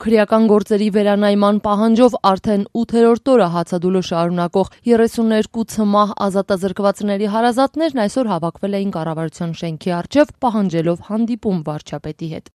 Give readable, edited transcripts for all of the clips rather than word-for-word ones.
Քրեական գործերի վերանայման պահանջով արդեն 8-րդ օրը հացադուլը շարունակող 32 ցմահ ազատազրկվածների հարազատներն այսօր հավաքվել էին կառավարության շենքի առջև, պահանջելով հանդիպում վարչապետի հետ։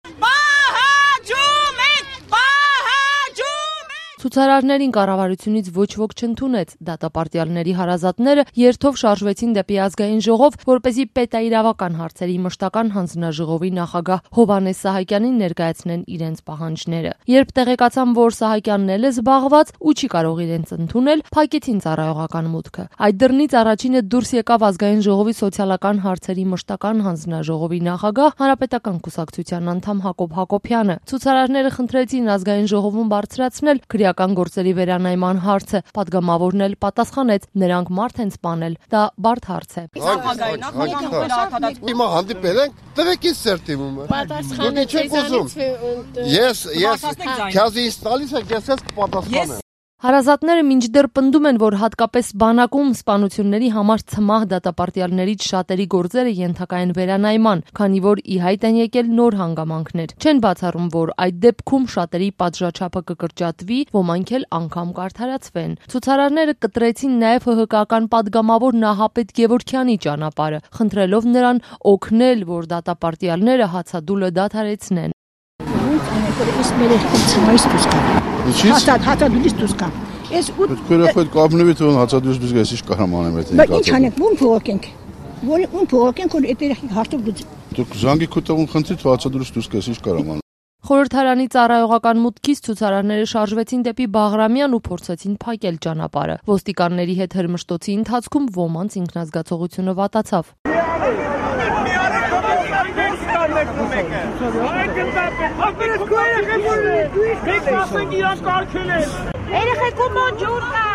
Ցուցարարներին կառավարությունից ոչ ոք չընդունեց, դատապարտյալների հարազատները երթով շարժվեցին դեպի ազգային ժողով, որպեսզի պետաիրավական հարցերի մշտական հանձնաժողովի նախագահ Հովհաննես Սահակյանին ներկայացնեն իրենց պահանջները։ Երբ տեղեկացան, որ Սահակյանն էլ է զբաղված ու չի կարող իրենց ընդունել, փակեցին ծառայողական մուտքը։ Այդ դռնից առաջինը դուրս եկավ ազգային ժողովի սոցիալական հարցերի մշտական հանձնաժողովի նախագահ Հանրապետական կուսակցության անդամ Հակոբ Հակոբյանը։ Ցուցարարները խնդրեցին ազգային ժողովում բարձրացնել քրեական գործերի վերանայման հարցը, պատգամավորն էլ պատասխանեց, նրանք մարդ են սպանել, դա բարդ հարց է։ Հիմա հանդիպել ենք, տվեք ինձ սերտիմումը։ Ես քյազի ինձ տալիս եք, ես կպատասխանեմ։ Հարազատները մինչդեռ պնդում են, որ հատկապես բանակում սպանությունների համար ցմահ դատապարտյալներից շատերի գործերը ենթակա են վերանայման, քանի որ ի հայտ են եկել նոր հանգամանքներ։ Չեն բացառում, որ այդ դեպքում շատերի պատժաչափը կկրճատվի, ոմանք էլ անգամ կարդարացվեն։ Ցուցարարները կտրեցին նաև ՀՀԿ-ական պատգամավոր Նահապետ Գևորգյանի ճանապարհը, խնդրելով նրան օգնել, որ դատապարտյալները հացադուլը դադարեցնեն։ Հացադուլից դուրս գամ։ Քրեխոտ կապնվի թող հացադուլից դուրս գայս ինչ կարամ անեմ այդ։ Բայց ինչ անենք, ում փողոքենք։ Ում փողոքենք, որ այդ հարցով դուք զանգի քուտավուն խնդրի թող հացադուլից դուրս գայս ինչ կարամ անեմ։ Խորհրդարանի ծառայողական մուտքից ցուցարարները շարժվեցին դեպի Բաղրամյան ու փորձեցին փակել ճանապարհը։ Ոստիկանների հետ հրմշտոցի ընթացքում ոմանց ինքնազգացողությունը վատացավ։ Երեխեքու մոտ ջուր կա։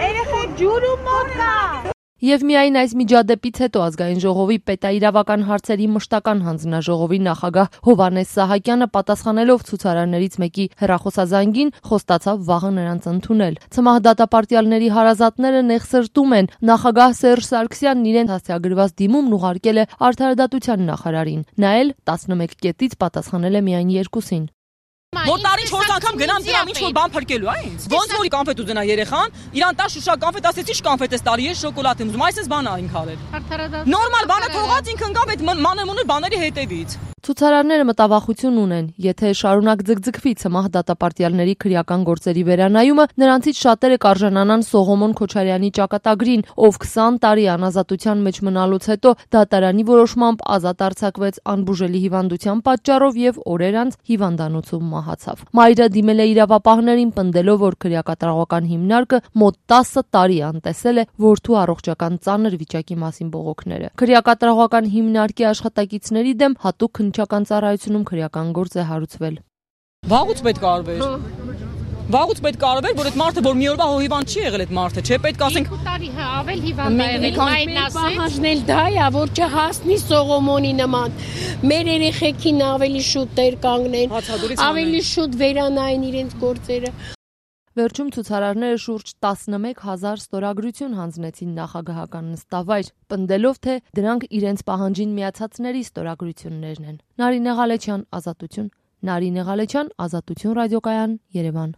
Երեխեք ջուրը մոտ կա։ Եվ միայն այս միջադեպից հետո ազգային ժողովի պետաիրավական հարցերի մշտական հանձնաժողովի նախագահ Հովհաննես Սահակյանը պատասխանելով ցուցարարներից մեկի հեռախոսազանգին խոստացավ վաղը նրանց ընդունել։ Ցմահ դատապարտյալների հարազատները նեղսրտում են, նախագահ Սերժ Սարգսյանն իրեն հասցեագրված դիմումն ուղարկել է Արդարադատության նախարարին։ Նա էլ 11 կետից պատասխանել է միայն 2-ին։ Որ տարին 4 անգամ գնամ դրամ ինչ-որ բան փրկելու, այ ինձ։ Ոնց որ կոնֆետ ուզենա երեխան, իրան տա շուշա կոնֆետ, ասեցի ինչ կոնֆետ ես տարի, ես շոկոլադ եմ ուզում, այսպես բան ա ինք արել։ Նորմալ բանը թողած ինքն ընկավ այդ մանեմունի բաների հետևից։ Ցուցարարները մտավախություն ունեն, եթե շարունակ ձգձգվի ցմահ դատապարտյալների քրեական գործերի վերանայումը, նրանցից շատերը կարժանանան Սողոմոն Քոչարյանի ճակատագրին, ով 20 տարի անազատության մեջ մնալուց հետո դատարանի որոշմամբ ազատ արձակվեց անբուժելի հիվանդության պատճառով եւ օրեր անց հիվանդանոցում մահացավ։ Մայրը դիմել է իրավապահներին, պնդելով, որ քրեակատարողական հիմնարկը մոտ 10 տարի անտեսել է որդու առողջական ծանր վիճակի մասին բողոքները։ Քրեակատարողական հիմնարկի աշխատակիցների դեմ հատուկ քննչական ծառայությունում քրեական գործ է հարուցվել։ Վաղուց պետք է արվեր։ Վաղուց պետք է արվեր, որ այդ մարդը որ մի օրվա հիվանդ չի եղել այդ մարդը, չէ՞, պետք է ասենք 2 տարի ավել հիվանդ ա եղել, այն ասել, դա է, որ չհասնի Սողոմոնի նման։ Մեր երեխեքին ավելի շուտ տեր կանգնեն, ավելի շուտ վերանային իրենց գործերը։ Վերջում ցուցարարները շուրջ 11,000 ստորագրություն հանձնեցին նախագահական նստավայր, պնդելով, թե դրանք իրենց պահանջին միացածների ստորագրություններն են։ Նարինե Ղալեչյան, Ազատություն, Նարինե Ղալեչյան, Ազատություն ռադիոկայան, Երևան։